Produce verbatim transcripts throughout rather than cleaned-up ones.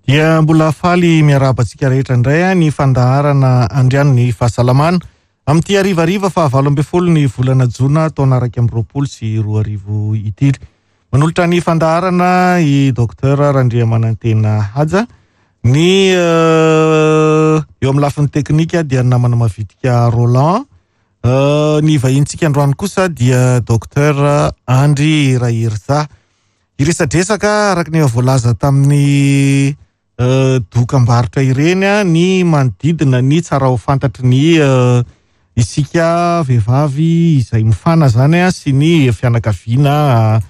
Dia mbola faly miarahaba antsika rehetra indray ny fandaharana Andrian'ny Fahasalamana amin'ity harivariva fahavalo ambin'ny folo ny volana jona taona iraika amby roapolo sy roa arivo ity. Manolotra ny fandaharana i Docteur Randriamanantena Haja. Ny eo amin'ny lafiny teknika dia ny namana mavitrika Roland. Ny vahintsika androany kosa dia Docteur Andry Raherza. Hiresadresaka araka ny efa voalaza tamin'ny dokam-barotra ireny ny manodidina ny tsara ho fantatry ny isika vehivavy izay mifana zany sy ny fianakaviana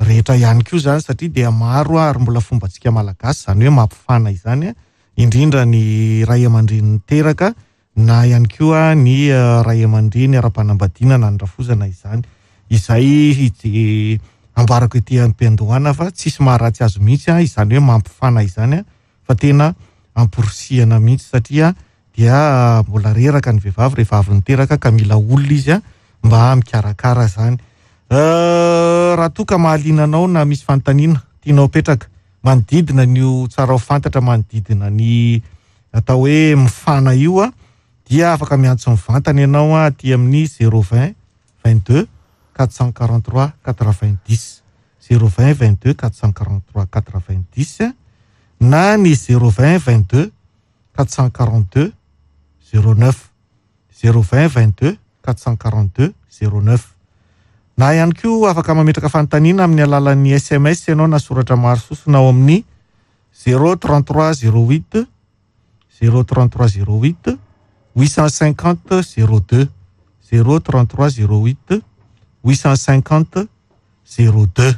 rehetra ihany koa zany, satria dia maro ary mbola fombantsika malagasy zany hoe mampifana izany, indrindra ny ray aman-dreny niteraka na ihany koa ny ray aman-dreny ara-panambadiana na ny rafozana izany, izay ambarako ety am-piandohana fa tsisy maharatsy azy mihitsy izany hoe mampifana izany, fa tena amporisihana mihitsy satria dia mbola reraka ny vehivavy rehefa avy niteraka ka mila olona izy mba mikarakara zany. Raha toa ka mahaliana anao na misy fanontaniana tianao apetraka manodidina ny tsara ho fantatra manodidina ny atao hoe mifana io a, dia afaka miantso mivantana ianao aty amin'ny zéro vingt vingt-deux quatre cent quarante-trois quatre-vingt-dix, zéro vingt vingt-deux quatre cent quarante-trois quatre-vingt-dix na ny zéro vingt vingt-deux quatre cent quarante-deux zéro neuf, zéro vingt vingt-deux quatre cent quarante-deux zéro neuf. Na ihany koa afaka mametraka fanontaniana amin'ny alalan'ny S M S ianao na soratra maro sosona ao amin'ny zéro trente-trois zéro huit, zéro trente-trois zéro huit huit cent cinquante zéro deux, zéro trente-trois zéro huit huit cent cinquante zéro deux.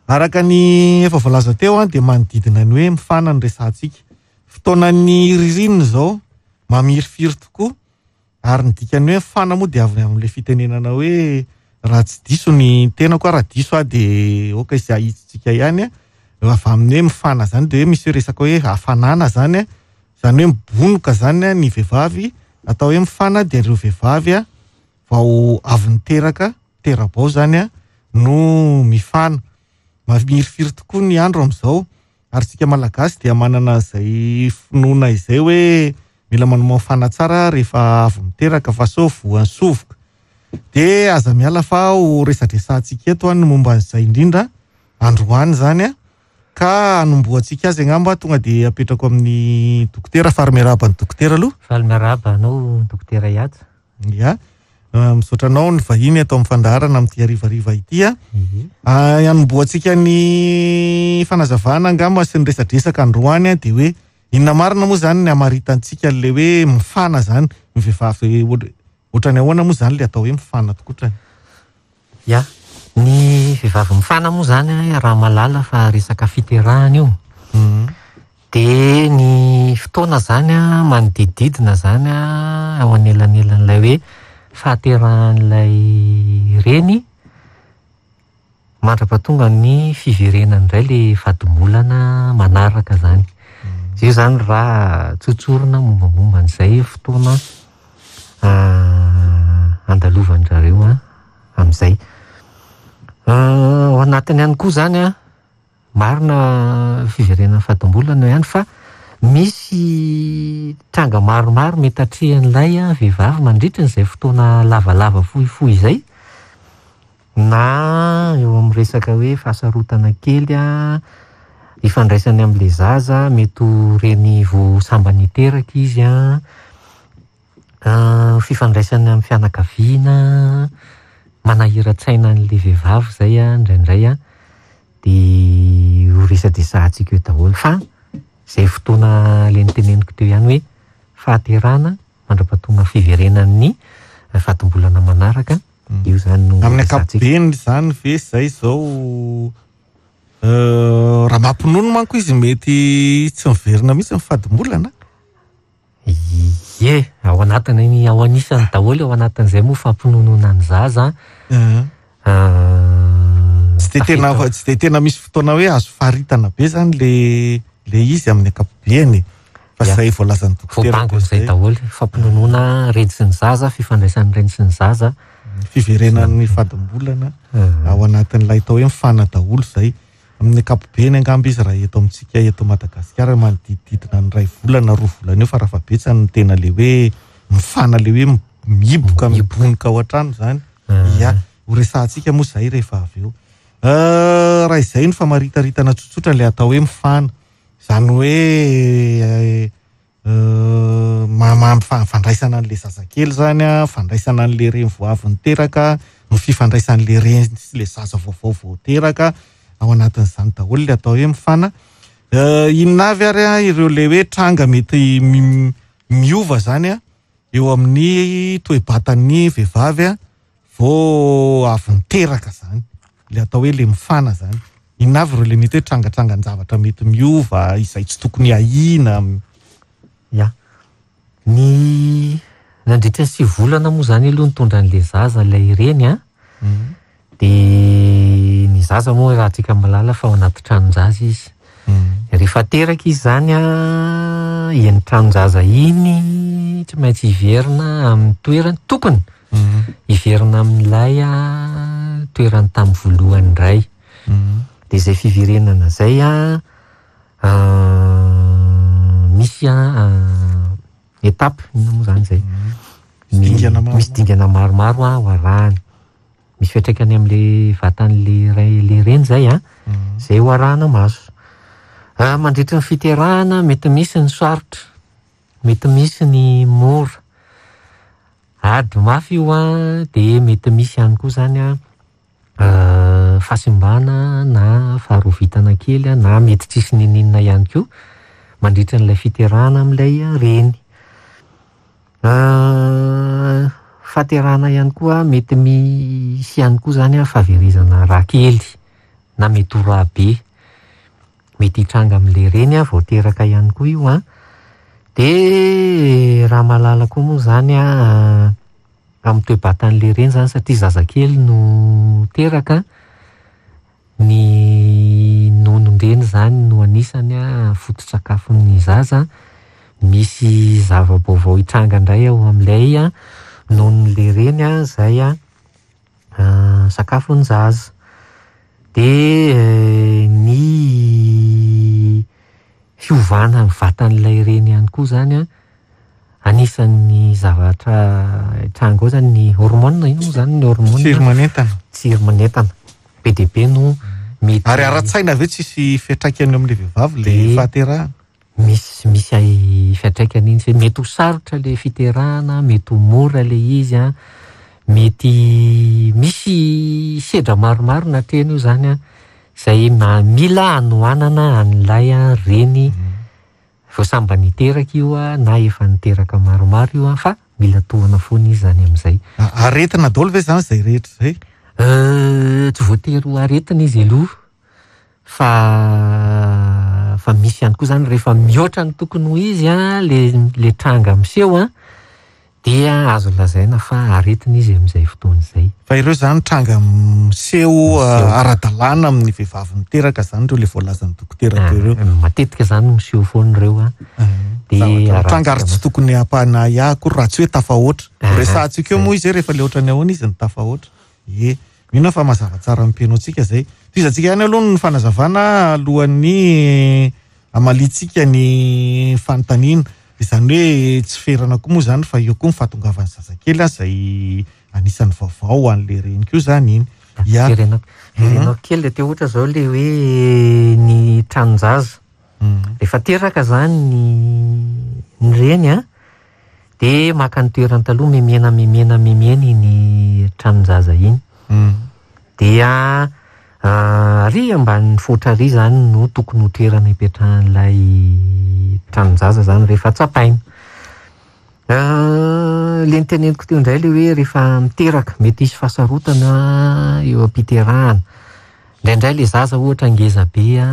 Araka ny efa voalaza teo dia manodidina ny hoe mifana ny resahantsika. Fotoanan'ny ririnina izao mamirifiry tokoa, ary ny dikany hoe mifana moa dia avy amin'ilay fitenenana hoe raha tsy diso ny tenako, raha diso aho dia aoka izay ahitsitsika ihany. Avy amin'ny hoe mifana zany dia hoe misy resaka hoe hafanana zany, zany hoe mibonoka zany ny vehivavy. Atao hoe mifana dia ireo vehivavy vao avy niteraka, tera-bao zany no mifana. Mamirifiry tokoa ny andro amin'izao, ary tsika malagasy dia manana izay finoana izay hoe mila manao mifana tsara rehefa avy miteraka fa sao voan'ny sovoka. Dia aza miala fa ho resadresantsika eto ny momba an'izay indrindra androany zany, ka hanombohantsika azy angamba tonga dia apetrako amin'ny dokotera. Faly miarahaba ny dokotera aloha. Faly miarahaba anao dokotera Ihaja. Ia, misaotra anao ny vahiny ato amin'ny fandaharana amin'ity harivariva ity. Hanombohantsika ny fanazavana angamba sy ny resadresaka androany dia hoe inona marina moa zany ny hamaritantsika an'ilay hoe mifana zany ny vehivavy, ohatrany ahoana moa zany ilay atao hoe mifana tokotrany? Ia, ny vehivavy mifana moa zany raha mahalala fa resaka fiterahana io. Dia ny fotoana zany manodidididina zany ao anelanelan'ilay hoe fahaterahan'ilay reny mandra-pahatonga ny fiverenany indray ilay vadimolana manaraka zany. Izay zany raha tsotsorina mombamomba an'izay fotoana andalovan-drareo amin'izay. Ao anatiny ihany koa zany marina fiverenan'ny fadimbolana ihany fa misy tranga maromaro mety atrehan'ilay vehivavy mandritra an'izay fotoana lavalava fohifohy izay, na eo amin'ny resaka hoe fahasarotana kely ifandraisany amin'ilay zaza, mety ho reny vao sambany hiteraka izy, fifandraisany amin'ny fianakaviana, manahiran-tsaina an'ilay vehivavy izay indraindray, dia ho resadresahantsika eo daholo. Fa izay fotoana ilay niteneniko teo ihany hoe fahaterahana mandra-pahatonga fiverenan'ny fadimbolana manaraka, io zany no amin'ny resahantsika. Ankapobeny zany ve izay izao, raha mampinono manko izy mety tsy miverina mihitsy ny fadimbolana? Ie, ao anatiny, ao anisany daholo, ao anatin'izay moa fampinonoana ny zaza. Tsy de tena, tsy de tena misy fotoana hoe azo faritana be zany le, le izy amin'ny ankapobeny. Fa Ia. izay voalazan'ny dokotera Voabangon'izay teo izay. daholo, fampinonoana reny sy ny zaza, fifandraisan'ny reny sy ny zaza. Fiverenan'ny fadimbolana Mhm. ao anatin'ilay atao hoe mifana daholo izay. Amin'ny ankapobeny angamba izy raha eto amintsika eto Madagasikara manodidididina ny iray volana roa volana eo farafahabetsany no tena le hoe mifana le hoe mihiboka mibonoka ao an-trano zany. Ia, ho resahantsika moa zay rehefa avy eo. Raha izay no famaritaritana tsotsotra le atao hoe mifana, zany hoe fandraisana an'le zazakely zany a, fandraisana an'le reny vao avy niteraka, ny fifandraisan'le reny sy le zaza vaovao vao teraka, ao anatin'izany daholo le atao hoe mifana. Inona avy ary a ireo le hoe tranga mety miova zany a eo amin'ny toe-batan'ny vehivavy a vao avy niteraka zany, le atao hoe le mifana zany. Inona avy ireo le mety hoe trangatrangan-javatra mety miova izay tsy tokony ahiana? Ya, ny nandritra ny sivy volana moa zany aloha nitondra an'le zaza ilay reny a, de ny zaza moa raha tsika mahalala fa ao anaty tranon-jaza izy. Rehefa teraka izy zany a, iny tranon-jaza iny tsy maintsy hiverina amin'ny toerany tokony hiverina amin'ilay toerany tamin'ny voalohany indray. De izay fiverenana zay a, misy a étape inona moa zany zay? Misy dingana maromaro a ho arahana. Misy fiantraikany amin'le vatan'le ray le reny zay a, zay ho arahana maso. Mandritra ny fiterahana mety misy ny sarotra, mety misy ny mora. Ady mafy io a, de mety misy ihany koa zany a fahasimbana na faharovitana kely na mety tsisy n'inon'inona ihany koa mandritra n'ilay fiterahana amin'ilay reny. Fahaterahana ihany koa mety misy ihany koa zany a fahaverezana rà kely na mety ho rà be. Mety hitranga amin'ilay reny a vao teraka ihany koa io a. De raha mahalala koa moa zany a amin'ny toe-batan'ilay reny zany satria zazakely no teraka, ny nonon-dreny zany no anisany a foto-tsakafon'ny zaza. Misy zava-baovao hitranga indray ao amin'ilay a nonon'ilay reny a zay a sakafon'ny zaza. De ny fiovana ny vatan'ilay reny ihany koa zany a anisan'ny zavatra hitranga ao zany ny hormone, ino moa zany ny hormone? Tsiry manentana. Tsiry manentana. Be dia be no mety. Ary ara-tsaina ve tsisy fiantraikany eo amin'ilay vehivavy le fahaterahana? Misy misy fiantraikany iny, mety ho sarotra le fiterahana, mety ho mora le izy a, mety misy sedra maromaro natrehina io zany a, izay mila hanohanana an'ilay reny vao sambany niteraka io a, na efa niteraka maromaro io a, fa mila tohana foana izy zany amin'izay. Aretina daholo ve zany izay rehetra izay? Tsy voatery ho aretina izy aloha, fa fa misy ihany koa zany rehefa mihoatra ny tokony ho izy a, le le tranga miseho a, dia azo lazaina fa aretina izy amin'izay fotoana izay. Fa ireo zany tranga miseho ara-dalàna amin'ny vehivavy miteraka zany ireo le voalazan'ny dokotera teo ireo. Matetika zany miseho foana ireo a. Dia tranga ary tsy tokony hampanahy akory raha tsy hoe tafahoatra. Resahantsika eo moa izy rehefa le ohatrany ahoana izy ny tafahoatra. Ie, mino aho fa mazava tsara amin'ny mpihaino zay. Tohizantsika ihany aloha ny fanazavana alohan'ny hamaliantsika ny fanontaniana. Izany hoe tsy ferana koa moa zany fa eo koa ny fahatongavan'ny zazakely izay anisan'ny vaovao ho an'le reny koa zany iny. Ia. Verenako kely le teo ohatra zao le hoe ny tranon-jaza. Rehefa teraka zany ny ny reny a, de maka ny toerany taloha memena memena memena iny tranon-jaza iny. Dia ary ambanin'ny foatra ary zany no tokony ho toerana ipetrahan'ilay tranon-jaza zany rehefa tsapaina. Le niteneniko teo indray le hoe rehefa miteraka mety hisy fahasarotana eo am-piterahana. Indraindray le zaza ohatra ngeza be a,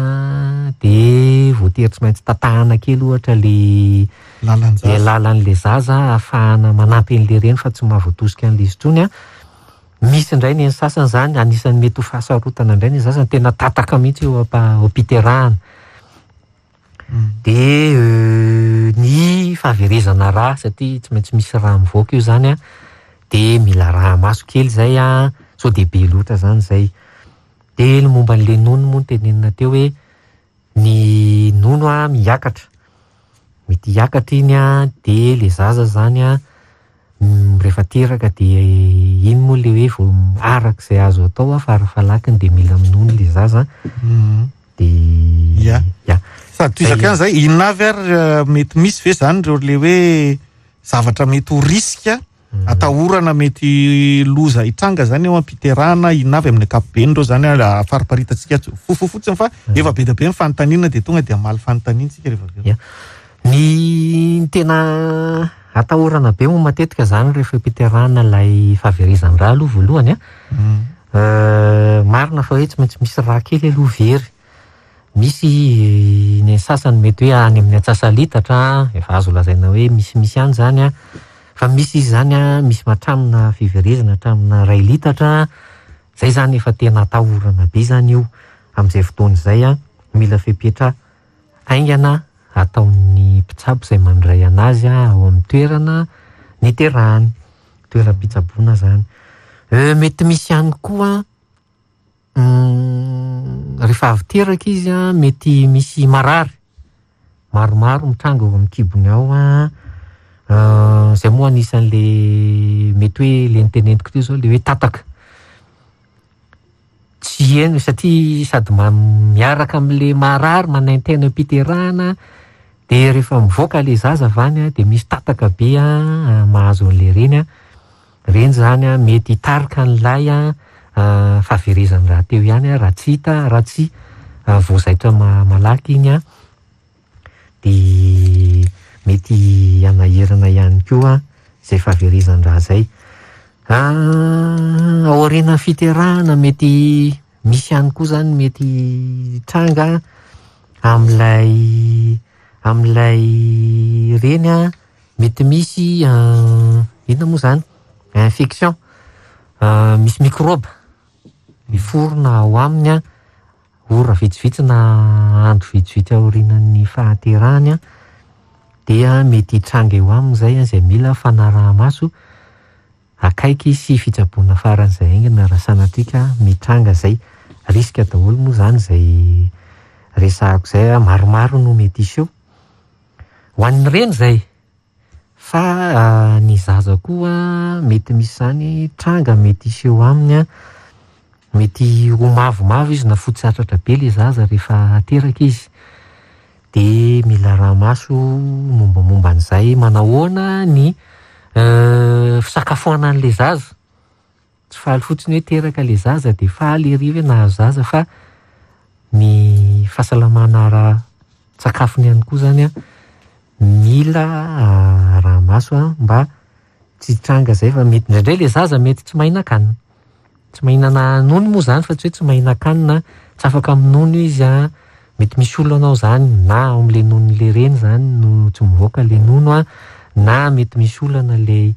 de voatery tsy maintsy tatahana kely ohatra le Lalan-jaza. le lalan'le zaza ahafahana manampy an'le reny fa tsy mahavoatosika an'le izy intsony a. Misy indray ny sasany zany anisan'ny mety ho fahasarotana indray ny sasany tena tataka mihitsy eo ampa- am-piterahana. De ny fahaverezana rà satria tsy maintsy misy rà mivoaka io zany a, de mila rà maso kely zay a, sao de be loatra zany zay. De ny momba an'le nono moa no tenenina teo hoe ny nono a miakatra. Mety hiakatra iny a, de le zaza zany a rehefa teraka de iny moa le hoe vao arak'izay azo atao a farafalakiny de mila minono le zaza. De Ya. ya. Sady toizako ihany zay, inona avy ary mety misy ve zany ireo le hoe zavatra mety ho risque atahorana mety loza hitranga zany eo am-piterahana, inona avy amin'ny ankapobeny ireo zany a fariparitatsika fofo fotsiny fa efa be dia be ny fanontaniana de tonga de hamaly fanontaniana tsika rehefa avy eo. Ya. Ny tena atahorana be moa matetika zany rehefa mpiterahana ilay fahaverezan-drà aloha voalohany a. Euh, marina fa hoe tsy maintsy misy rà kely aloha very. Misy ny sasany mety hoe any amin'ny antsasa-litatra, efa azo lazaina hoe misimisy ihany zany a. Fa misy izy zany a, misy hatramina fiverezana hatramina iray litatra. Zay zany efa tena atahorana be zany io amin'izay fotoana izay a. Mila fepetra haingana ataon'ny mpitsabo izay mandray anazy a ao amin'ny toerana niterahany, toeram-pitsaboana zany. Euh, mety misy ihany koa rehefa avy teraka izy a, mety misy marary maromaro mitranga ao amin'ny kibony ao a. Zay moa anisan'le mety hoe le niteneniko teo zao le hoe tataka. Tsy heno satria sady ma- miaraka amin'le marary manaintaina am-piterahana de rehefa mivoaka le zaza avy any a de misy tataka be a mahazo an'le reny a. Reny zany a mety hitarika an'ilay a fahaverezan-drà teo ihany a raha tsy hita, raha tsy voazaitra ma- malaky iny a. De mety hanahirana ihany koa zay fahaverezan-drà zay. Aorianan'ny fiterahana mety misy ihany koa zany mety tranga amin'ilay amin'ilay reny a, mety misy inona moa zany infection, misy mikrôba miforona ao aminy a, ora vitsivitsy na andro vitsivitsy aorianan'ny fahaterahany a, dia mety hitranga eo aminy zay a, zay mila fanaraha-maso akaiky sy fitsaboana faran'izay haingana raha sanatria ka mitranga zay. Risque daholo moa zany zay resahako zay a, maromaro no mety hiseho. Ho an'ny reny zay, fa ny zaza koa mety misy zany tranga mety hiseho aminy a, mety ho mavomavo izy na fotsy hatratra be le zaza rehefa teraka izy. De mila araha-maso mombamomba an'izay manahoana ny fisakafoanan'le zaza. Tsy faly fotsiny hoe teraka le zaza de faly ery hoe nahazo zaza fa ny fahasalamana ara-tsakafony ihany koa zany a mila araha-maso a mba tsy hitranga zay fa mety indraindray le zaza mety tsy mahinan-kanina. Tsy mahinana nono moa zany fa tsy hoe tsy mahinan-kanina, tsy afaka minono izy a, mety misy olana ao zany na ao amin'le nonon'le reny zany no tsy mivoaka le nono a, na mety misy olana le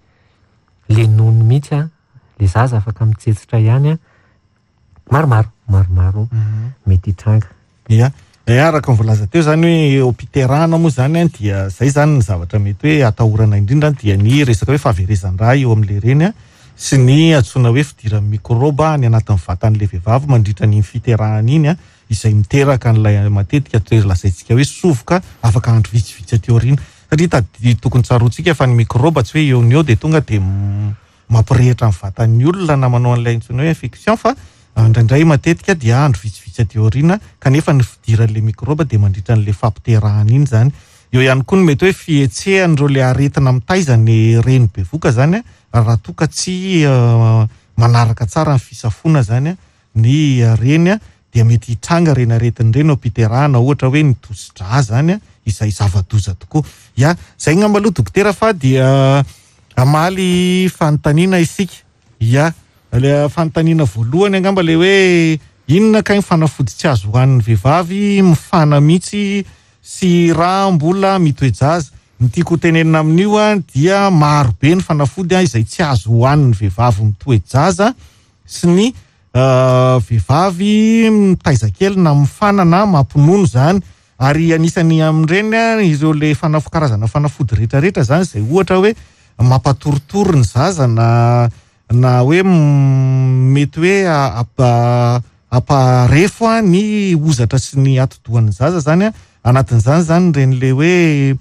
le nono mihitsy a, le zaza afaka mitsetsitra ihany a. Maromaro, maromaro mety hitranga. Ya, araka ny voalaza teo zany hoe eo am-piterahana moa zany a dia zay zany ny zavatra mety hoe atahorana indrindra dia ny resaka hoe fahaverezan-drà eo amin'le reny a sy ny antsoina hoe fidiran'ny mikrôba any anatin'ny vatan'le vehivavy mandritra ny fiterahana iny a, izay miteraka an'ilay matetika toe lazaintsika hoe sovoka afaka andro vitsivitsy aty aoriana. Satria tady tokony tsaroantsika fa ny mikrôba tsy hoe eo no eo de tonga de mampirehitra ny vatan'ny olona na manao an'ilay antsoina hoe infection fa indraindray matetika dia andro vitsivitsy aty aoriana kanefa ny fidiran'le mikrôba de mandritra an'le fampiterahana iny zany. Eo ihany koa ny mety hoe fihetsehan'ireo le aretina mitaiza ny reny bevoka zany a, raha toa ka tsy manaraka tsara ny fisafoana zany a ny reny a dia mety hitranga reny aretina ireny eo am-piterahana, ohatra hoe ny tosi-drà zany a, izay zava-doza tokoa. Ya, zay angamba aloha dokotera fa dia hamaly fanontaniana isika. Ya, le fanontaniana voalohany angamba le hoe inona kay ny fanafody tsy azo hohanin'ny vehivavy mifana mihitsy sy raha mbola mitoe-jaza. Ny tiako hotenenina amin'io a dia maro be ny fanafody a izay tsy azo hohanin'ny vehivavy mitoe-jaza sy ny vehivavy mitaiza kely na mifana na mampinono zany. Ary anisan'ny amin'ireny a ireo le fanafo-, karazana fanafody rehetrarehetra zany izay ohatra hoe mampatoritory ny zaza na na hoe mety hoe Hamparefo a ny hozatra sy ny atidohan'ny zaza zany a. Anatin'izany zany ireny le hoe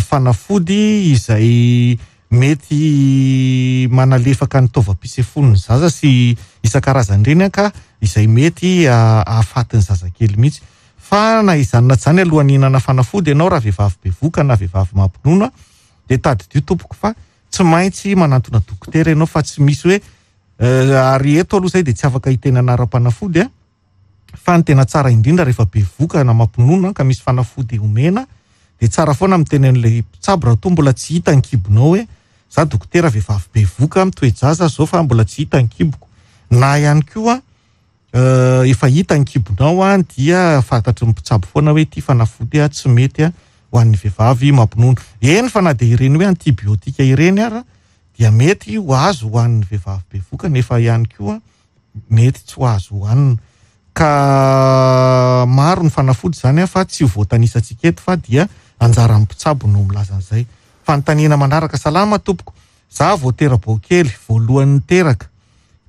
fanafody izay mety manalefaka ny taovam-pisefoan'ny zaza sy isan-karazany ireny a, ka izay mety ahafaty ny zazakely mihitsy. Fa na izany na izany, alohan'ny hihinana fanafody ianao raha vehivavy bevoka na vehivavy mampinono, dia tadidio tompoko fa tsy maintsy manantona dokotera ianao, fa tsy misy hoe ary eto aloha izay dia tsy afaka hiteny anaram-panafody a. Fa ny tena tsara indrindra rehefa bevoka na mampinono ka misy fanafody omena, dia tsara foana miteny an'ilay mpitsabo raha toa mbola tsy hita ny kibonao hoe za dokotera vehivavy bevoka mitoe-jaza zao fa mbola tsy hita ny kiboko, na ihany koa efa hita ny kibonao a, dia fantatry ny mpitsabo foana hoe ity fanafody a tsy mety a ho an'ny vehivavy mampinono. Eny fa na dia ireny hoe antibiotika ireny ara dia mety ho azo ho an'ny vehivavy bevoka, nefa ihany koa mety tsy ho azo hohanina. Ka maro ny fanafody zany a, fa tsy ho voatanisantsika eto fa dia anjaran'ny mpitsabo no milaza an'izay. Fanontaniana manaraka: salama tompoko, za vao tera-bao kely voalohany niteraka,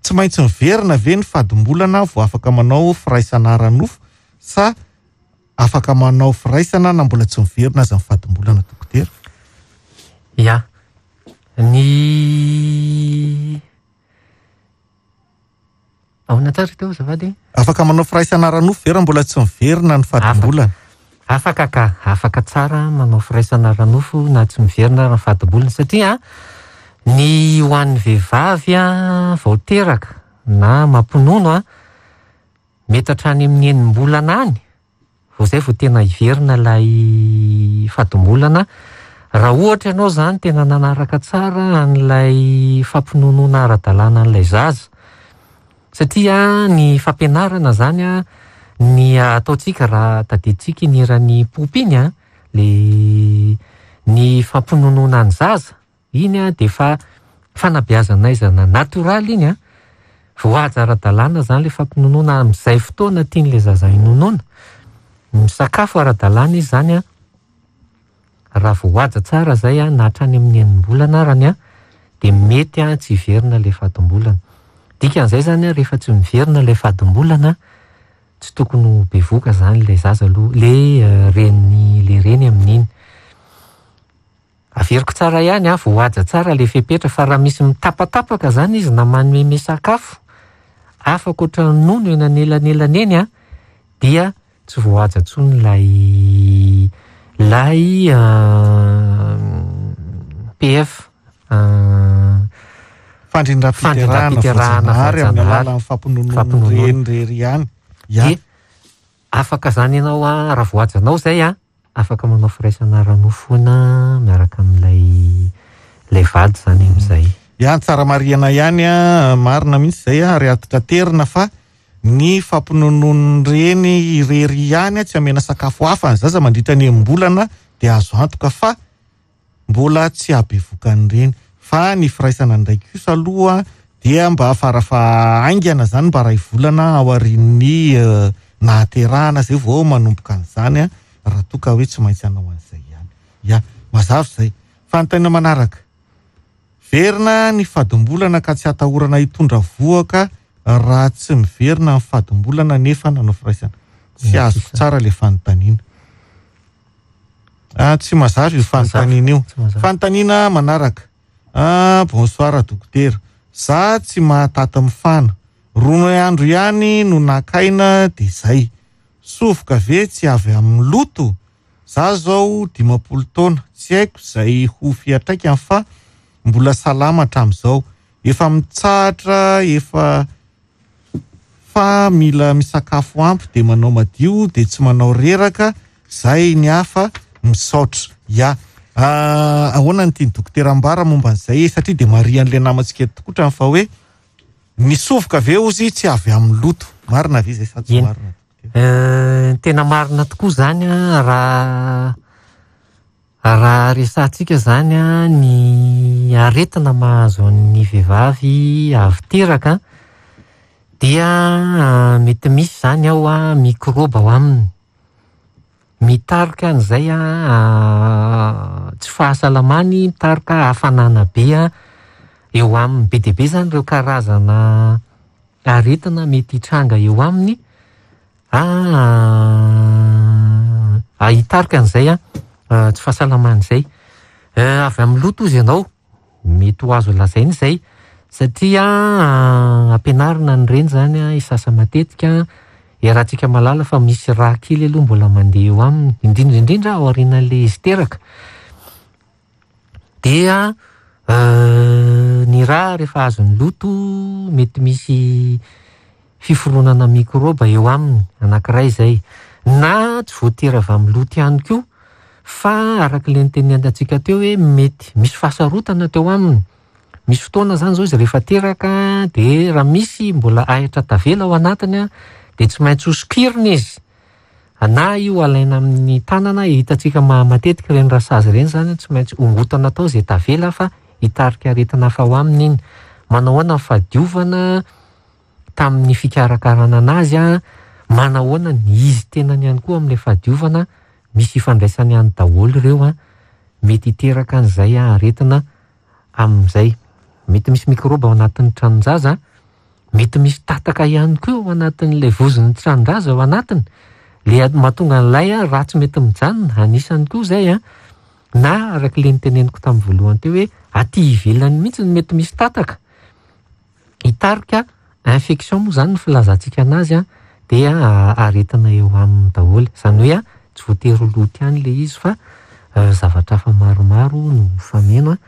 tsy maintsy miverina ve ny fadimbolana vao afaka manao firaisana ara-nofo sa afaka manao firaisana na mbola tsy miverina aza ny fadimbolana dokotera? Ya, ny ahoana tsara teo azafady? Afaka manao firaisana ara-nofo ve raha mbola tsy miverina ny fadimbolana? Afaka ka, afaka tsara manao firaisana ara-nofo na tsy miverina ny fadimbolana, satria ny ho an'ny vehivavy a vao teraka na mampinono a, mety hatrany amin'ny enim-bolana any vao zay vao tena hiverina ilay fadimbolana. Raha ohatra ianao zany tena nanaraka tsara an'ilay fampinonoana ara-dalàna an'ilay zaza, satria ny fampianarana zany a, ny ataontsika raha tadidintsika iny hiran'ny Poopy iny a, le ny fampinonoana ny zaza iny a de efa fanabeazana natoraly iny a, voahaja ara-dalàna zany le fampinonoana amin'izay fotoana tian'ilay zaza hinonoana. Misakafo ara-dalàna izy zany a, raha voahaja tsara zay a, na hatrany amin'ny enim-bolana arany a, de mety a tsy hiverina ilay fadimbolana. Dikan'izay zany a, rehefa tsy miverina ilay fadimbolana, tsy tokony ho bevoka zany ilay zaza aloha, le reny le reny amin'iny. Averiko tsara ihany a, voahaja tsara le fepetra, fa raha misy mitapatapaka zany izy na manome sakafo hafa ankoatra ny nono eny anelanelany eny a, dia tsy voahaja intsony ilay ilay P F fandrindram-piterahana voajanahary amin'ny alalan'ny fampinonoana reny irery ihany. Ya. Dia afaka zany ianao a, raha voahajanao zay a, afaka manao firaisana ara-nofo foana miaraka amin'ilay ilay vady zany amin'izay. Ya, tsara marihana ihany a, marina mihitsy zay a, ary atitraterina fa ny fampinonoan'ny reny irery ihany a, tsy amena sakafo hafa ny zaza mandritra ny enim-bolana, dia azo antoka fa mbola tsy habevokan'ny reny. Fa ny firaisana indray kosa aloha dia mba farafahaingana zany, mba ray volana aorian'ny nahaterahana zay vao manomboka an'izany a, raha toa ka hoe tsy maintsy hanao an'izay ihany. Ya, mazava izay. Fanontaniana manaraka: verina ny fadimbolana ka tsy atahorana hitondra vohoka raha tsy miverina ny fadimbolana nefa nanao firaisana? Tsy azoko tsara le fanontaniana. Ah, tsy mazava io fanontaniana io. Fanontaniana manaraka: ah, bonsoir dokotera, za tsy mahataty mifana, roa andro ihany no nakaina de zay. Sovoka ve tsy avy amin'ny loto? Za zao dimampolo taona, tsy haiko izay ho fiantraikany fa mbola salama hatramin'izao. Efa mitsahatra, efa fa mila misakafo ampy de manao madio de tsy manao reraka, zay ny hafa misaotra. Ya, ahoana ny tian'ny dokotera ambara momba an'izay? Satria de marihan'ilay namantsika eto tokotrany fa hoe ny sovoka ve ozy tsy avy amin'ny loto? Marina ve izay sa tsy marina? Tena marina tokoa zany a, raha raha resahantsika zany a, ny aretina mahazo an'ny vehivavy avy teraka dia mety misy zany ao a mikrôba ao aminy, mitarika an'izay a tsy fahasalamany, mitarika hafanana be a eo aminy. Be dia be zany ireo karazana aretina mety hitranga eo aminy ah hitarika an'izay a tsy fahasalamana izay. Avy amin'ny loto izy ianao, mety ho azo lazaina izay satria ampianarina ny reny zany a hisasa matetika, iarahantsika mahalala fa misy rà kely aloha mbola mandeha eo aminy, indrindra indrindra ao aorianan'ilay izy teraka. Dia ny rà rehefa azon'ny loto mety misy fiforonana mikrôba eo aminy, anankiray izay. Na tsy voatery avy amin'ny loto ihany koa, fa araka ilay nitenenantsika teo hoe mety misy fahasarotana teo aminy. Misy fotoana zany zao izy rehefa teraka de raha misy mbola ahitra tavela ao anatiny a, de tsy maintsy hosokirina izy. Na io alaina amin'ny tanana, hitantsika matetika ireny rasazy ireny zany tsy maintsy ongotana atao izay tavela fa hitarika aretina hafa ao aminy iny. Manao ahoana ny fahadiovana tamin'ny fikarakarana anazy a, manao ahoana ny izy tenany ihany koa amin'ilay fahadiovana, misy ifandraisany ihany daholo ireo a, mety hiteraka an'izay aretina amin'izay. Mety misy mikrôba ao anatin'ny tranon-jaza, mety misy tataka ihany koa ao anatin'ilay vozon'ny tranon-jaza ao anatiny. Le mahatonga an'ilay a raha tsy mety mijanona, anisany koa izay a, na araka ilay niteneniko tamin'ny voalohany teo hoe aty ivelany mihitsy no mety misy tataka. Hitarika infection moa zany ny filazantsika anazy a, dia aretina eo aminy daholo. Izany hoe a tsy voatery ho loto ihany ilay izy fa zavatra hafa maromaro no mifameno a.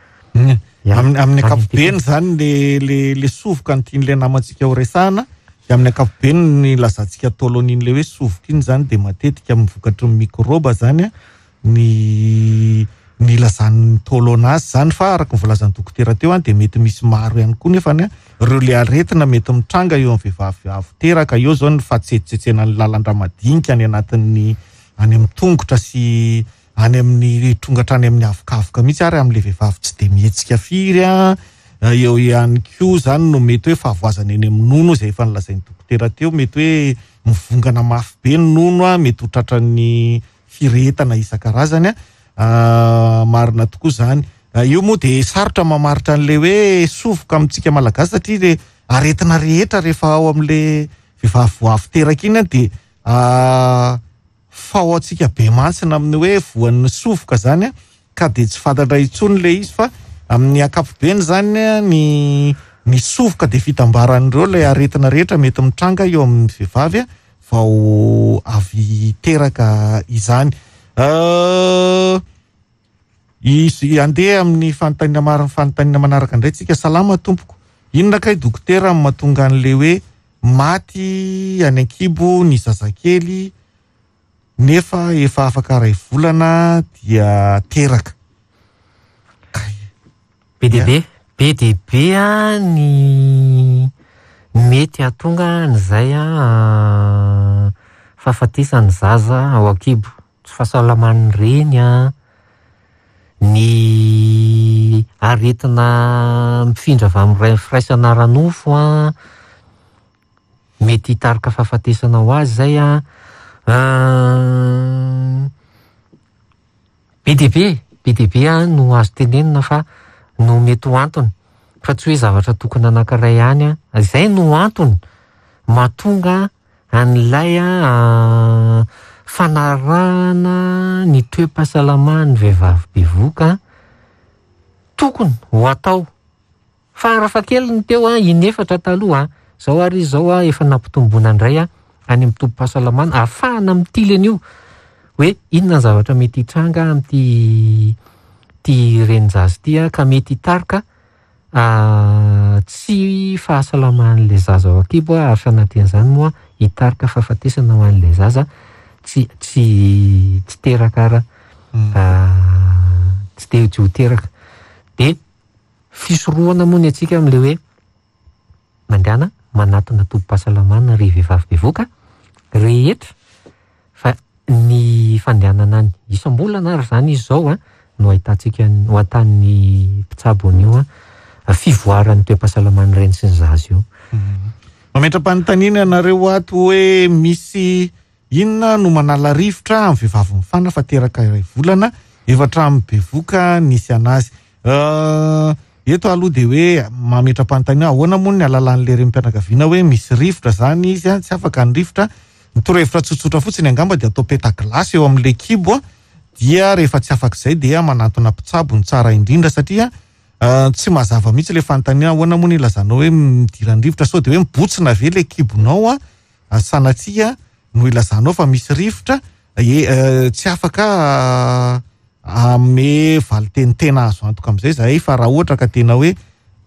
Ya. Amin'ny amin'ny ankapobeny zany le le le sovoka ny tian'ilay namantsika ho resahana, de amin'ny ankapobeny ny lazantsika taolon'iny le hoe sovoka iny zany de matetika amin'ny vokatry ny mikrôba zany a ny ny ilazan'ny taolona azy zany, fa araka ny voalazan'ny dokotera teo a de mety misy maro ihany koa nefany a ireo le aretina mety mitranga eo amin'ny vehivavy avy teraka eo zao ny fahatsetsetsenan'ny lalan-drà madinika any anatin'ny any amin'ny tongotra sy any amin'ny tonga hatrany amin'ny avokavoka mihitsy, ary amin'ilay vehivavy tsy de mihetsika firy a eo ihany koa zany no mety hoe fahavoazana eny amin'ny nono izay efa nolazain'ny dokotera teo, mety hoe mivongana mafy be ny nono a, mety ho tratran'ny firehetana isan-karazany a. Marina tokoa zany. Io moa de sarotra mamaritra an'ilay hoe sovoka amintsika malagasy satria le aretina rehetra rehefa ao amin'ilay vehivavy vao avy teraka iny a de fa ao antsika be mantsina amin'ny hoe voan'ny sovoka zany a, ka de tsy fantatra intsony ilay izy, fa amin'ny ankapobeny zany a ny ny sovoka de fitambaran'ireo ilay aretina rehetra mety mitranga eo amin'ny vehivavy a vao avy teraka izany. Izy andeha amin'ny fanontaniana maro, fanontaniana manaraka indray tsika. Salama tompoko, inona kay dokotera no mahatonga an'ilay hoe maty any an-kibo ny zazakely nefa efa afaka iray volana dia teraka? Be dia be, be dia be a ny mety hahatonga an'izay a fahafatesan'ny zaza ao an-kibo. Tsy fahasalaman'ny reny a, ny aretina mifindra avy amin'ny firaisana ara-nofo a, mety hitarika fahafatesana ho azy izay a. Be dia be, be dia be a no azo tenenina fa no mety ho antony, fa tsy hoe zavatra tokony anankiray ihany a. Izay no antony mahatonga an'ilay a fanarahana ny toe-pahasalaman'ny vehivavy bevoka tokony ho atao. Fa raha fahakeliny teo a, inefatra taloha a, zao ary izy zao a efa nampitomboana indray a any amin'ny tobim-pahasalamana ahafahana mitily an'io hoe inona ny zavatra mety hitranga amin'ity ty renin-jaza ity a, ka mety hitarika tsy fahasalaman'ilay zaza ao an-kibo a, ary sanatrian'izany moa hitarika fahafatesana ho an'ilay zaza tsy tsy tsy teraka ara tsy te tsy ho teraka. De fisorohana moa ny antsika amin'ilay hoe mandehana manatona tobim-pahasalamana ry vehivavy bevoka rehetra, fa ny fandehanana any isam-bolana ary zany izy zao a no ahitantsika no ahitan'ny mpitsabo an'io a fivoaran'ny toe-pahasalaman'ny reny sy ny zaza io. Mametra-panontaniana ianareo ato hoe misy inona no manala rivotra amin'ny vehivavy mifana fa teraka iray volana efa hatramin'ny bevoka nisy anazy. Eto aloha dia hoe mametra-panontaniana ahoana moa ny alalan'ilay renim-pianakaviana hoe misy rivotra zany izy a, tsy afaka ny rivotra. Ny torohevitra tsotsotra fotsiny angamba dia atao peta-gilasy eo amin'ilay kibo a, dia rehefa tsy afaka izay dia manantona mpitsabo ny tsara indrindra, satria tsy mazava mihitsy ilay fanontaniana ahoana moa ny ilazanao hoe midiran'ny rivotra, sao dia hoe mibotsina ve ilay kibonao a, sanatria no ilazanao fa misy rivotra, e, tsy afaka ame valinteny tena azo antoka amin'izay zahay, fa raha ohatra ka tena hoe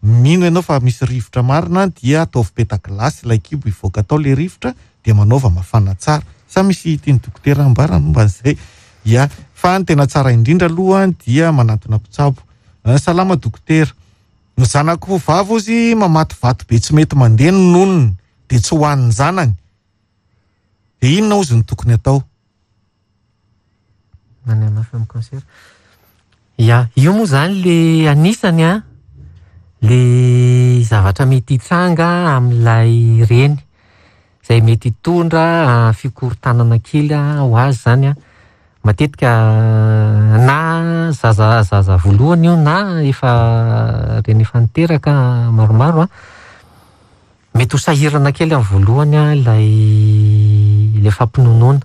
mino ianao fa misy rivotra marina dia ataovy peta-gilasy ilay kibo hivoaka tao ilay rivotra dia manaova mafana tsara. Sa misy tian'ny dokotera ambara momba an'izay? Ya, fa ny tena tsara indrindra aloha dia manantona mpitsabo. Salama dokotera. Ny zanako vavy ozy mamaty vato be tsy mety mandeha ny nonony dia tsy hohanin'ny zanany. Dia inona ozy no tokony atao? Manana mafy amin'ny cancer. Ya, io moa zany le anisany a, le zavatra mety hitranga amin'ilay reny izay mety hitondra fikorontanana kely ho azy zany a. Matetika na zaza zaza voalohany io na efa reny efa niteraka maromaro a, mety ho sahirana kely amin'ny voalohany a ilay ilay fampinonoana,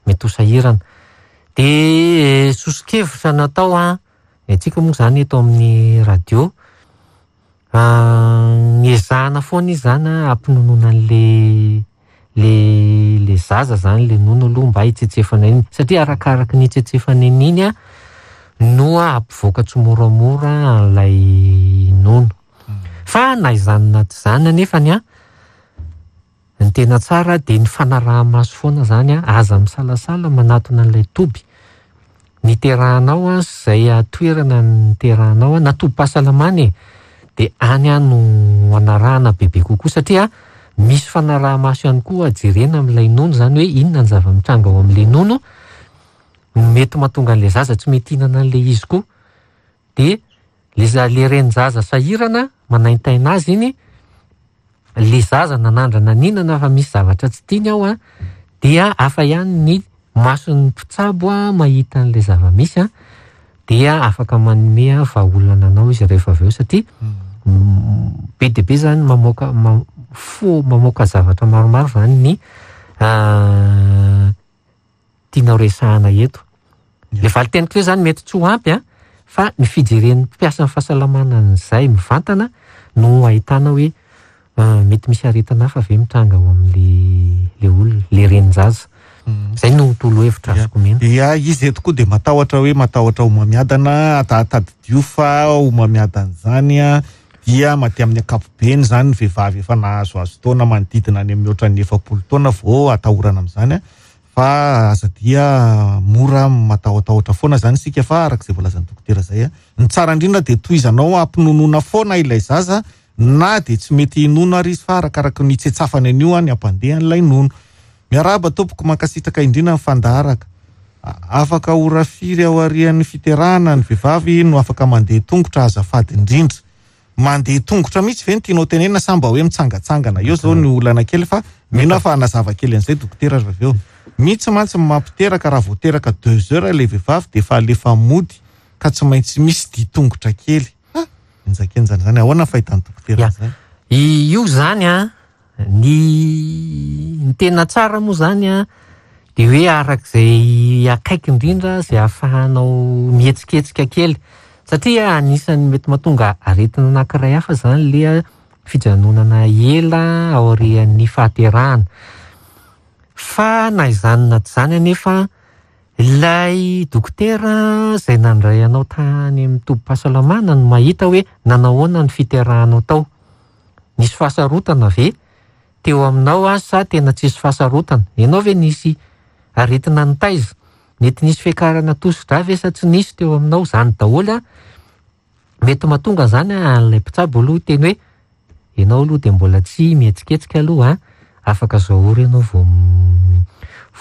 mety ho sahirana. Dia soso-kevitra natao a, antsika moa zany eto amin'ny radio, niezahana foana izy zany a hampinonoana an'le le le zaza zany le nono aloha mba hitsetsefana iny, satria arakaraky ny hitsetsefana iny a no hampivoaka tsimoramora an'ilay nono. Fa na izany na tsy izany anefany a, ny tena tsara dia ny fanaraha-maso foana zany a, aza misalasala manatona an'ilay toby niterahanao a, izay toerana niterahanao a, na tobim-pahasalamana e, dia any a no anarahana bebe kokoa, satria misy fanaraha-maso ihany koa jerena amin'ilay nono zany hoe inona ny zava-mitranga ao amin'ilay nono mety mahatonga an'ilay zaza tsy mety hihinana an'ilay izy koa. Dia le za- le renin-jaza sahirana manaintaina azy iny, le zaza nanandrana nihinana fa misy zavatra tsy tiany ao a, dia hafa ihany ny mason'ny mpitsabo a mahita an'ilay zava-misy a, dia afaka manome vahaolana anao izy rehefa avy eo, satria be dia be zany mamoaka ma- fo mamoaka zavatra maromaro zany ny tianao resahana eto. Le valin-teniko teo zany mety tsy ho ampy a, fa ny fijeren'ny mpiasan'ny fahasalamana an'izay mivantana no ahitana hoe mety misy aretina hafa ve mitranga ao amin'le le olona, le renin-jaza. Zay no torohevitra azoko omena. Ya, izy eto koa dia matahotra hoe matahotra homamiadana, tadidio fa homamiadana zany a dia maty amin'ny ankapobeny zany ny vehivavy efa nahazoazo taona manodidina any amin'ny ohatran'ny efapolo taona vao atahorana amin'izany a, fa aza dia mora matahotahotra foana zany isika, fa araka izay voalazan'ny dokotera zay a, ny tsara indrindra dia tohizanao hampinonoana foana ilay zaza na dia tsy mety hinono ary izy, fa arakaraka ny hitsetsafany an'io a ny hampandeha an'ilay nono. Miarahaba tompoko, mankasitraka indrindra ny fandaharaka. Afaka ora firy aorian'ny fiterahana ny vehivavy no afaka mandeha tongotra azafady indrindra? Mandeha tongotra mihitsy ve ny tianao tenenina sa mba hoe mitsangatsangana? Eo zao ny olana kely, fa mino aho fa hanazava kely an'izay dokotera avy eo. Mihitsy mantsy mampiteraka raha vao teraka deux heures ilay vehivavy dia efa alefa mody ka tsy maintsy misy dia tongotra kely. Ha, enjakenjana zany. Ahoana ny fahitan'ny dokotera an'izany? Io zany a, ny ny tena tsara moa zany a dia hoe arak'izay akaiky indrindra izay ahafahanao mihetsiketsika kely, satria anisan'ny mety mahatonga aretina anankiray hafa zany le fijanonana ela aorian'ny fahaterahana. Fa na izany na tsy izany anefa, ilay dokotera izay nandray anao tany amin'ny tobim-pahasalamana no mahita hoe nanao ahoana ny fiterahanao tao. Nisy fahasarotana ve teo aminao a sa tena tsisy fahasarotana? Ianao ve nisy aretina nitaiza? Mety nisy fiakarana tosidra ve sa tsy nisy teo aminao? Zany daholo a. Mety mahatonga zany a an'ilay mpitsabo aloha hiteny hoe ianao aloha dia mbola tsy mihetsiketsika aloha a, afaka zao ora ianao vao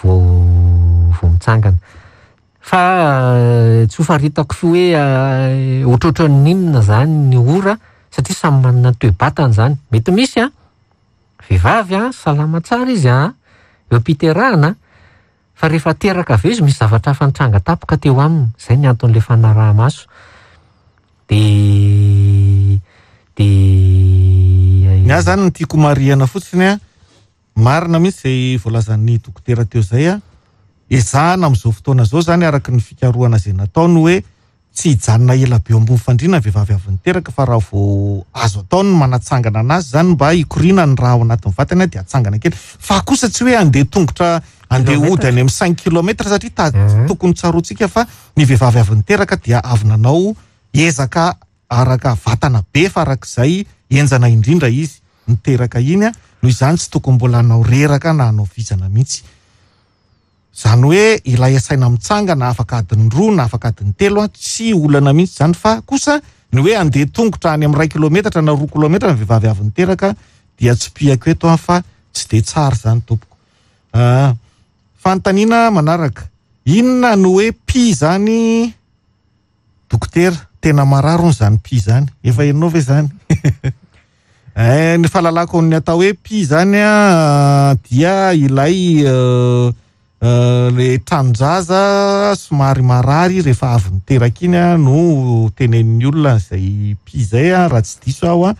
vao vao mitsangana. Fa tsy ho faritako hoe ohatrohatran'ny inona zany ny ora, satria samy manana ny toe-batany zany. Mety misy a vehivavy a salama tsara izy a eo am-piterahana, fa rehefa teraka avy eo izy misy zavatra hafa nitranga tampoka teo aminy. Zay ny anton'ilay fanaraha-maso. Dia De Ny ahy zany ny tiako marihana fotsiny a, marina mihitsy zay voalazan'ny dokotera teo zay a, ezahana amin'izao fotoana zao zany araka ny fikarohana zay nataony hoe tsy hijanona ela be eo ambony fandriana ny vehivavy avy niteraka, fa raha vao azo atao ny manatsangana anazy zany mba hikoriana ny raha ao anatin'ny vatany dia atsangana kely, fa kosa tsy hoe andeha tongotra andeha hody any amin'ny cinq kilomètres satria ta tokony tsaroantsika fa ny vehivavy avy niteraka dia avy nanao ezaka araka vatana be fa arak'izay enjana indrindra izy niteraka iny a, noho izany tsy tokony mbola hanao reraka na hanao vizana mihitsy. Zany hoe ilay asaina mitsangana afaka adiny roa na afaka adiny telo a, tsy olana mihitsy zany, fa kosa ny hoe andeha tongotra any amin'ny ray kilometatra na roa kilometra ny vehivavy avy niteraka dia tsy piako eto a, fa tsy de tsara zany tompoko. Ah, fanontaniana manaraka, inona no hoe pi zany dokotera? Tena marary hono zany pi zany, efa henonao ve zany? Eh, ny fahalalako ny atao hoe pi zany a dia ilay euh, euh, le tranon-jaza somary marary rehefa avy niteraka iny a no tenenin'ny olona zay pi zay a, raha tsy diso aho a.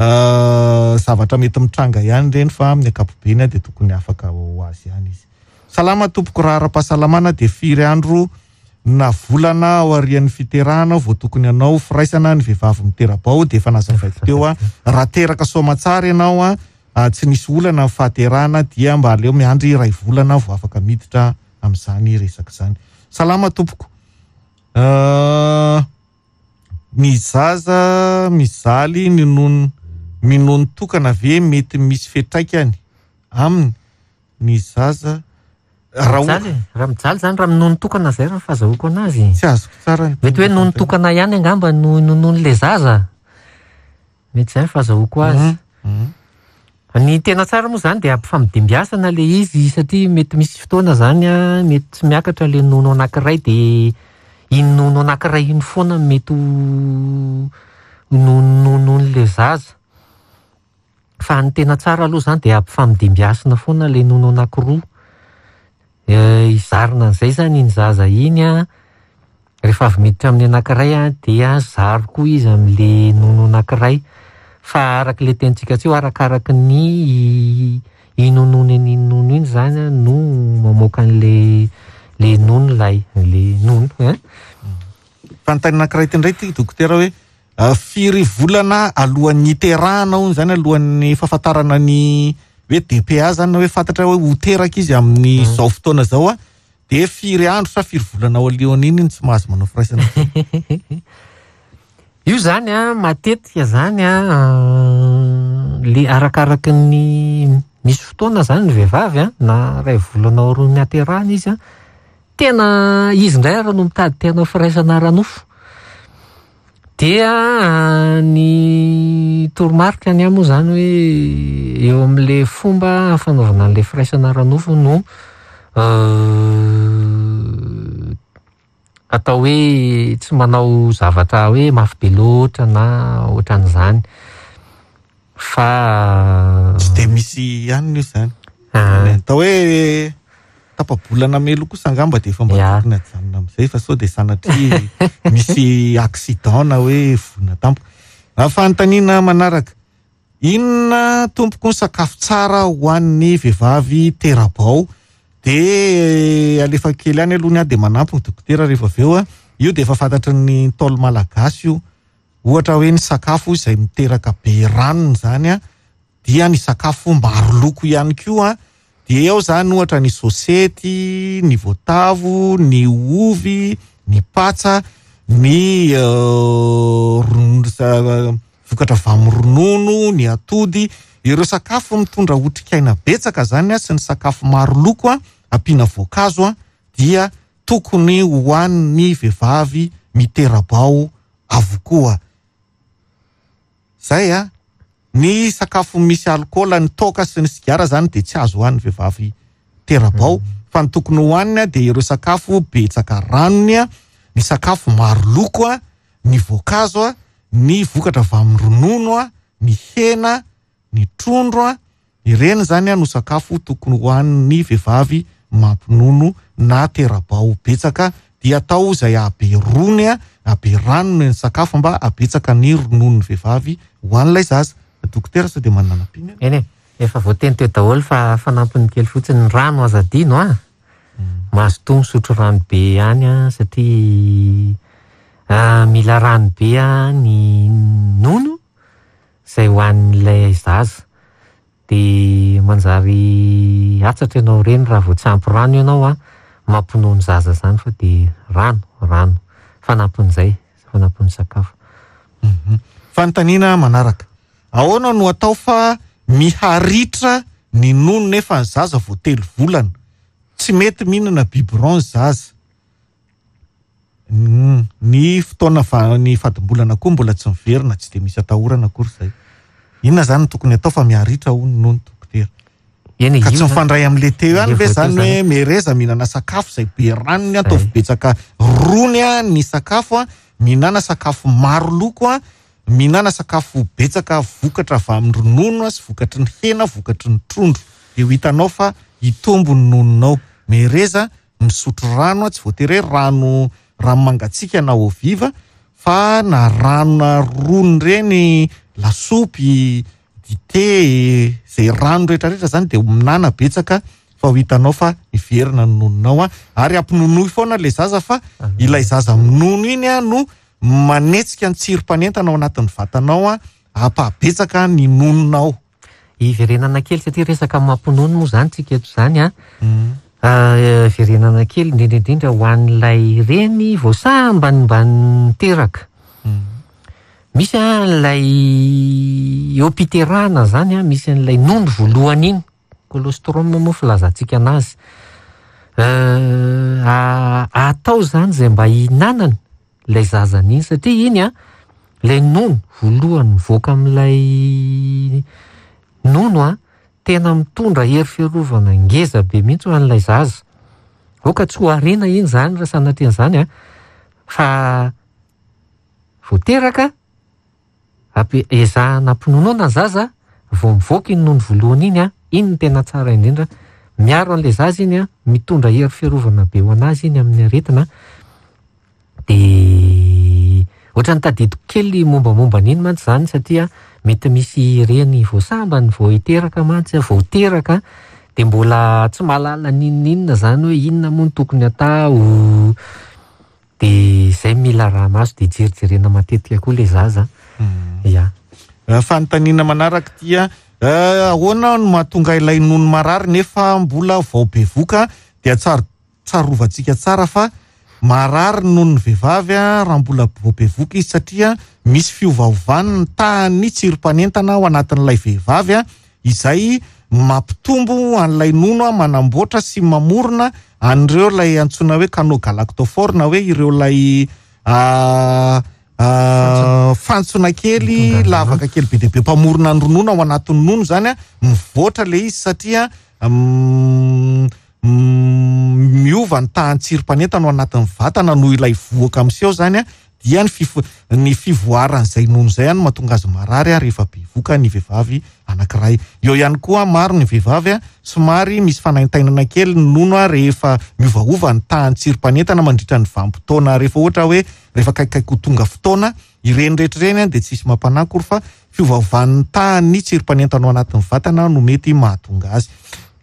Euh, zavatra mety mitranga ihany reny fa amin'ny ankapobeny a dia tokony afaka ho azy ihany izy. Salama tompoko, raha ara-pahasalamana dia firy andro na volana aorian'ny fiterahana vao tokony hanao firaisana ny vehivavy mitera-bao? Dia efa nazavaiko teo a, raha teraka soamantsara ianao a, a, tsy nisy olana ny fahaterahana dia mba aleo miandry iray volana vao afaka miditra amin'izany resaka izany. Salama tompoko. Euh, ny zaza mizaly ny nono minono tokana ve mety misy fiantraikany aminy ny zaza? Raha o- Mijaly, raha mijaly zany raha minono tokana zay raha ny fahazahoako anazy. Tsy azoko tsara ny Mety hoe nono tokana ihany angamba no nonon'le zaza. Mety zay ny fahazahoako azy. Mhm. Ny tena tsara moa zany dia ampifamidimbiasana le izy satria mety misy fotoana zany a, mety tsy miakatra le nono anankiray dia iny nono anankiray iny foana mety ho nonon'le zaza. Fa ny tena tsara aloha zany dia ampifamidimbiasana foana le nono anankiroa. Eh, izarina an'izay zany iny zaza iny a, rehefa avy miditra amin'ny anankiray a dia zaro koa izy amin'le nono anankiray. Fa araka le tenintsika teo, arakaraky ny inonony an'iny nono iny zany a no mamoaka an'le le nono lay, le nono, hein? Fanontaniana anankiray ity indray ity dokotera hoe, ah, firy volana alohan'ny hiterahana hono zany, alohan'ny fahafantarana ny hoe D P A zany, na hoe fantatra hoe ho teraka izy amin'ny Mm. zao fotoana zao a, dia firy andro sa firy volana ao alohan'iny no tsy mahazo manao firaisana? Io zany a, matetika zany a, le arakaraky ny misy fotoana zany ny vehivavy a, na iray volana aorian'ny haterahana izy a, tena izy indray ary no mitady te hanao firaisana ara-nofo. Dia ny toromarika ny ahy moa zany hoe eo amin'le fomba fanaovana an'le firaisana ara-nofo no, euh, atao hoe tsy manao zavatra hoe mafy be loatra na ohatran'izany. Fa tsy de misy ihany io zany. Ah. Atao hoe tapa-bolana melo kosa angamba dia efa mba Ya. tokony ajanona amin'izay, fa sao dia sanatria misy accident na hoe voina tampoka. Ah, fanontaniana manaraka, inona tompoko ny sakafo tsara ho an'ny vehivavy tera-bao? Dia alefa kely ihany aloha ny ahy dia manampy ny dokotera rehefa avy eo a. Io dia efa fantatry ny Ntaolo malagasy io. Ohatra hoe ny sakafo izay miteraka be ranony zany a, dia ny sakafo maro loko ihany koa. Dia eo zany ohatra ny sosety, ny voatavo, ny ovy, ny patsa, ny, euh, ronono, sa-, vokatra avy amin'ny ronono, ny atody. Ireo sakafo mitondra otrikaina betsaka zany a, sy ny sakafo maro loko a, ampiana voankazo a, dia tokony hohanin'ny vehivavy mitera-bao avokoa. Zay a. Ny sakafo misy alkaola, ny toaka sy ny sigara zany dia tsy azo hohanin'ny vehivavy tera-bao, fa ny tokony hohaniny a dia ireo sakafo betsaka ranony a, ny sakafo maro loko a, ny voankazo a, ny vokatra avy amin'ny ronono a, ny hena, ny trondro a, ireny zany a no sakafo tokony hohanin'ny vehivavy mampinono na tera-bao betsaka. Dia atao izay hahabe rony a, Be rano ny sakafo mba habetsaka ny rononon'ny vehivavy ho an'ilay zaza. Dokotera, sao dia manana ampiana? Eny e, efa voateny teo daholo fa fanampiny kely fotsiny, ny rano aza adino a. Mazotoa misotro rano be ihany a, satria mila rano be a ny nono izay ho an'ilay zaza. Dia manjary atsatra ianao ireny raha vao tsy ampy rano ianao a, mampinono zaza zany, fa dia rano, rano fanampin'izay, fanampin'ny sakafo. Fanontaniana manaraka: ahoana no atao fa miharitra ny nono nefa ny zaza vao telo volana, tsy mety mihinana biberon zaza, ny fotoana va- ny fadimbolana koa mbola tsy miverina, tsy de misy atahorana akory zay? Inona zany no tokony atao fa miharitra hono nono, dokotera? Eny, Ka tsy io zany- mifandray amin'le teo ihany Le ve voateo zany hoe zany. Mereza mihinana sakafo zay be ranony, ataovy Zay. betsaka rony a ny sakafo a, mihinana sakafo maro loko a, mihinana sakafo betsaka vokatra avy amin'ny ronono a sy vokatry ny hena, vokatry ny trondro, de ho hitanao fa hitombo ny nononao. Mereza misotro rano a, tsy voatery hoe rano rano mangatsiaka na eau vive, fa na rano na rony reny, lasopy, dite, zay rano rehetrarehetra zany, de minana betsaka fa ho hitanao fa miverina ny nononao a. Ary ampinonoy foana le zaza, fa ilay zaza minono iny a no manetsika ny tsirom-panentana ao anatin'ny vatanao a, ampabetsaka ny nononao. Iverenana kely, satria resaka mampinono moa zany tsika eto zany a. Ah, Iverenana kely indrindra indrindra ho an'ilay reny vao sambany mba niteraka. Misy a ilay eo am-piterahana zany a, misy an'ilay nono voalohany iny, colostrum moa filazantsika anazy. Eh, atao zany zay mba hihinanany ilay zazany iny, satria iny a ilay nono voalohany mivoaka amin'ilay nono a, tena mitondra hery fiarovana ngeza be mihitsy ho an'ilay zaza. Aoka tsy ho ariana iny zany raha sanatrian'izany a, fa vao teraka ampi- ezahana ampinonoana ny zaza vao mivoaka iny nono voalohany iny a, iny no tena tsara indrindra. Miaro an'ilay zaza iny a, mitondra hery fiarovana be ho anazy iny amin'ny aretina. De ohatran'ny tadidiko kely mombamomba an'iny mantsy zany, satria mety misy reny vao sambany vao hiteraka mantsy, vao teraka, de mbola tsy mahalala n'inon'inona zany hoe inona moa no tokony atao, de zay mila raha maso, de jerijerena matetika koa le zaza. Ya. Eh, fanontaniana manaraka tya: eh, ahoana no mahatonga ilay nono marary nefa mbola vao bevoka? Dia tsar tsarovantsika tsara fa marary nono ny vehivavy a raha mbola vao bevoka izy, satria misy fiovaovany ny tahan'ny tsirom-panentana ao anatin'ilay vehivavy a, izay mampitombo an'ilay nono a, manamboatra sy mamorona an'ireo ilay antsoina hoe canaux galactophores, na hoe ireo ilay ah, ah, fantsona kely, Mitondra ronono. Lavaka kely be dia be mpamorona ny ronono ao anatin'ny nono zany a. Mivoatra le izy satria mm, mm, miova ny tahan'ny tsirom-panentana ao anatin'ny vatana noho ilay vohoka miseho zany a, dia ny fifo- ny fivoaran'izay nono zay any mahatonga azy marary a rehefa bevoka ny vehivavy anankiray. Eo ihany koa, maro ny vehivavy a somary misy fanaintainana kely ny nono a rehefa miovaova ny tahan'ny tsirom-panentana mandritra ny vanim-potoana, rehefa ohatra hoe rehefa akaikikaiky ho tonga fotoana ireny rehetra ireny a, de tsisy mampanahy akory fa fiovaovan'ny tahan'ny tsirom-panentana ao anatin'ny vatana no mety mahatonga azy.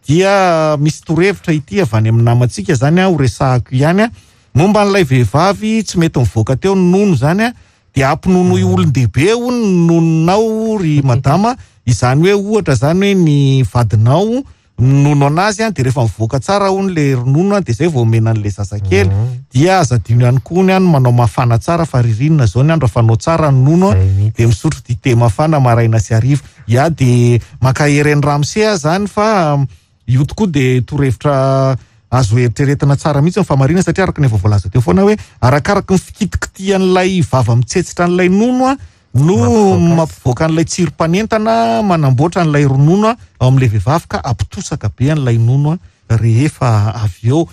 Dia misy torohevitra ity avy any amin'ny namantsika zany a, ho resahako ihany a, momba an'ilay vehivavy tsy mety mivoaka teo ny nono zany a, de ampinonoy olon-dehibe hono ny nononao ry madama. Izany hoe ohatra zany hoe ny vadinao minono anazy a, de rehefa mivoaka tsara hono le ronono a, de zay vao omena an'le zazakely. Dia aza adino ihany koa ny any manao mafana tsara, fa ririnina zao ny andro, afanao tsara ny nono a, Zay mihitsy. De misotro dite mafana maraina sy hariva ia. De mankahery ny ramose a zany, fa um, io tokoa de torohevitra azo eritreretina tsara mihitsy ny famarina, satria araka ny efa voalaza teo foana hoe arakaraky ny fikitikitian'ilay vava mitsetsitra an'ilay nono a no Mampivoaka azy. Mampivoaka an'ilay tsirom-panentana manamboatra an'ilay ronono a ao amin'ilay vehivavy, ka ampitosaka be an'ilay nono a rehefa avy eo.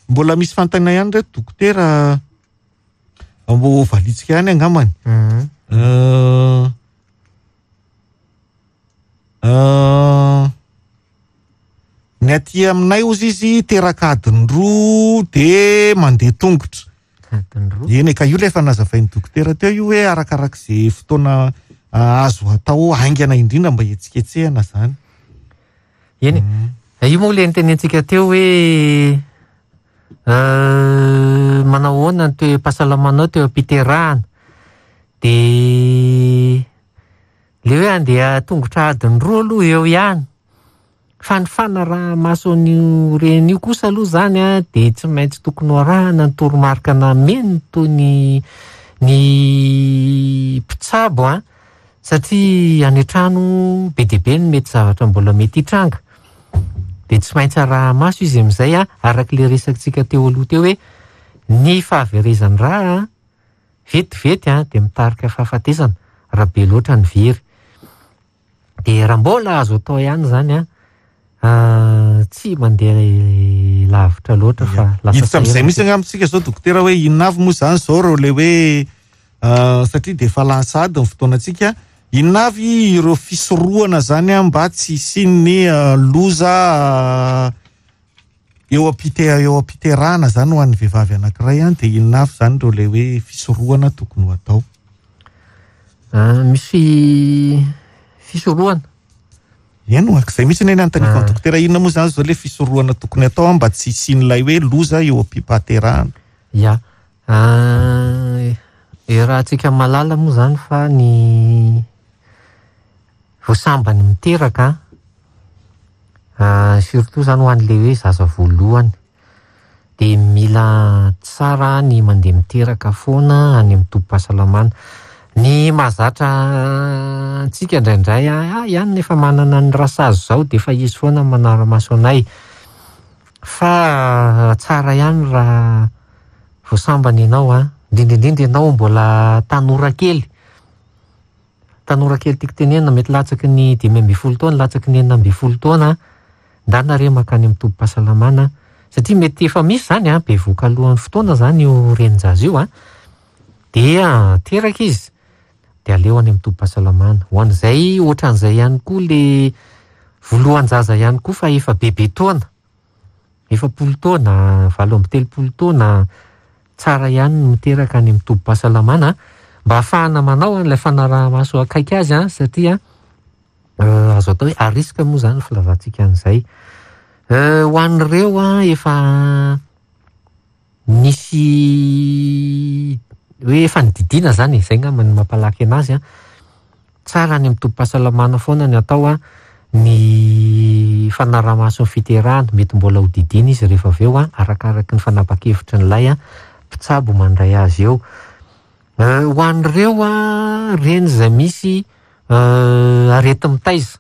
Mbola misy fanontaniana ihany reto, dokotera, mbo valitsika ihany angambany. Mhm. Euh, euh, ny aty aminay ozy izy teraka adiny roa de mandeha tongotra. Adiny roa. Eny e, ka io ilay efa nazavain'ny dokotera teo io hoe arakarak'izay fotoana azo atao haingana indrindra mba hihetsiketsehana izany. Eny e, io moa ilay nitenentsika teo hoe manao ahoana ny toe-pahasalamanao teo am-piterahana. Dia le hoe andeha tongotra adiny roa aloha eo ihany. Fa ny fanaraha-maso an'io reny io kosa aloha zany a dia tsy maintsy tokony ho arahana ny toromarika nameny toy ny ny mpitsabo a, satria any an-trano be dia be ny mety zavatra mbola mety hitranga. Dia tsy maintsy araha-maso izy amin'izay a, arak'ilay resakantsika teo aloha teo hoe ny fahaverezan'ny rà a vetivety a dia mitarika fahafatesana raha be loatra ny very. Dia raha mbola azo atao ihany zany a, tsy mandeha lavitra loatra fa lasa Hiditra amin'izay mihitsy angamba isika izao dokotera hoe inona avy moa izany izao ireo ilay hoe satria dia efa lany sahady ny fotoanantsika, inona avy ireo fisorohana zany a mba tsy hisian'ny loza eo am-pite- eo am-piterahana zany ho an'ny vehivavy anankiray a, dia inona avy zany ireo ilay hoe fisorohana tokony ho atao? Misy fisorohana. Eny ho ak'izay mihitsy anie ny anontaniako ny dokotera, inona moa zany zao ilay fisorohana tokony atao mba tsy hisian'ilay hoe loza eo am-pipaterahana? Ya, raha antsika mahalala moa zany fa ny voasambany miteraka surtout zany ho an'ilay hoe zaza voalohany dia mila tsara ny mandeha miteraka foana any amin'ny tobim-pahasalamana. Ny mahazatra antsika indraindray a ihany nefa manana ny rasazy izao dia efa izy foana manara-maso anay. Fa tsara ihany raha voasambany ianao a, indrindra indrindra ianao mbola tanora kely. Tanora kely tiako tenenina mety latsaky ny dimy ambin'ny folo taona, latsaky ny enina ambin'ny folo taona, ndana re mankany amin'ny tobim-pahasalamana satria mety efa misy zany a, bevohoka alohan'ny fotoana zany io renin-jaza io a, dia teraka izy dia aleo any amin'ny tobim-pahasalamana. Ho an'izay ohatran'izay ihany koa le voalohan-jaza ihany koa fa efa bebe taona, efapolo taona, valo amby telopolo taona, tsara ihany ny miteraka any amin'ny tobim-pahasalamana mba ahafahana manao an'ilay fanaraha-maso akaiky azy a, satria azo atao hoe à risque moa zany ny filazantsika an'izay. Ho an'ireo a efa nisy hoe efa nodidiana zany e, zay angamba no mampalaky anazy a, tsara any amin'ny tobim-pahasalamana foana ny atao a ny fanaraha-maso ny fiterahana, mety mbola ho didiana izy rehefa avy eo a, arakaraky ny fanapa-kevitry n'ilay a mpitsabo mandray azy eo. Ho an'ireo a reny izay misy areti-mitaiza,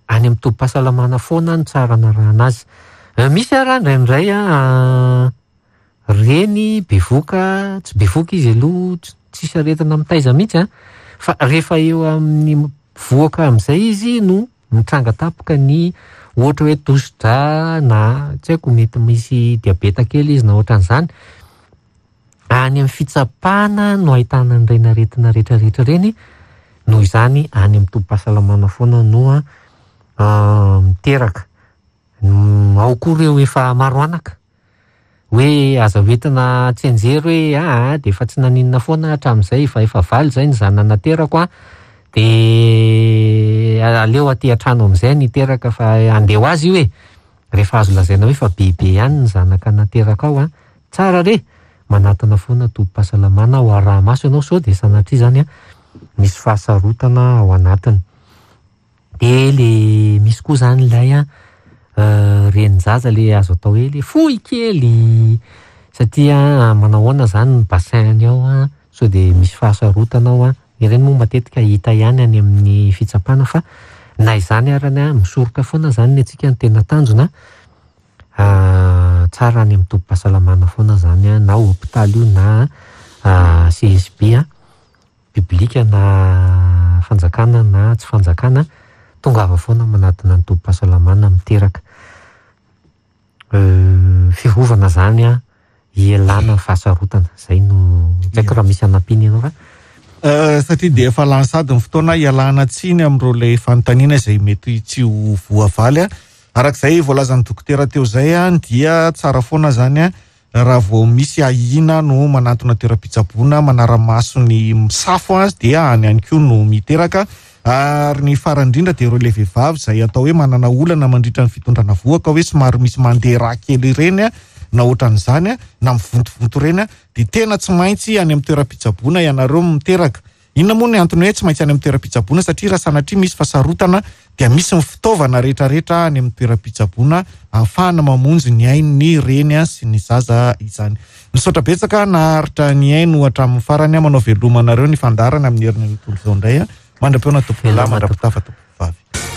any amin'ny tobim-pahasalamana foana no tsara anarahana azy. Misy ara indraindray a reny bevohoka, tsy bevohoka izy aloha, tsisy aretina mitaiza mihitsy a, fa rehefa eo amin'ny vohoka amin'izay izy no mitranga tampoka ny ohatra hoe tosi-drà na tsy haiko mety misy diabeta kely izy na ohatran'izany. Any amin'ny fitsapana no ahitana an'ireny aretina rehetrarehetra ireny, noho izany any amin'ny tobim-pahasalamana foana no miteraka. Ao koa ireo efa maro anaka, hoe aza hoentina tsianjery hoe aa dia efa tsy naninona foana hatramin'izay fa efa valo izay ny zanana naterako a, dia aleo aty an-trano amin'izay ny hiteraka fa andeha ho azy io e. Rehefa azo lazaina hoe efa bebe ihany ny zanaka nateraka ao a, tsara re manatona foana tobim-pahasalamana ho araha-maso ianao sao dia sanatria zany a misy fahasarotana ao anatiny. Dia le misy koa zany ilay a renin-jaza le azo atao hoe le fohy kely satria manao ahoana zany ny bassin-ny ao a, sao dia misy fahasarotana ao a, ireny moa matetika hita ihany any amin'ny fitsapana fa na izany arany a misoroka foana zany ny antsika ny tena tanjona, tsara any amin'ny tobim-pahasalamana foana zany a, na hôpitaly io na C S B a, publika na fanjakana na tsy fanjakana, tongava foana manatona ny tobim-pahasalamana miteraka. Fiarovana zany a hialana ny fahasarotana, zay no tsy haiko raha misy anampiana ianao fa satria dia efa lany sady ny fotoana hialana tsiny amin'ireo ilay fanontaniana izay mety tsy ho voavaly a. Arak'izay voalazan'ny dokotera teo izay a, dia tsara foana zany a Raha vao misy ahiana no manantona toeram-pitsaboana manara-maso ny misafo azy, dia any ihany koa no miteraka. Ary ny farany indrindra dia ireo le vehivavy izay atao hoe manana olana mandritra ny fitondrana vohoka, hoe somary misy mandeha rà kely ireny a, na ohatran'izany a, na mivontovonto ireny a, dia tena tsy maintsy any amin'ny toeram-pitsaboana ianareo miteraka. Inona moa ny antony hoe tsy maintsy any amin'ny toeram-pitsaboana? Satria raha sanatria misy fahasarotana dia misy ny fitaovana rehetrarehetra any amin'ny toeram-pitsaboana ahafahana mamonjy ny ain'ny reny sy ny zaza izany. Misaotra betsaka naharitra ny aino hatramin'ny farany. Manao veloma anareo ny fandaharana amin'ny herin'ny tontolo izao indray. Mandra-pihaona tompoko lahy, mandra-pitafa tompoko vavy.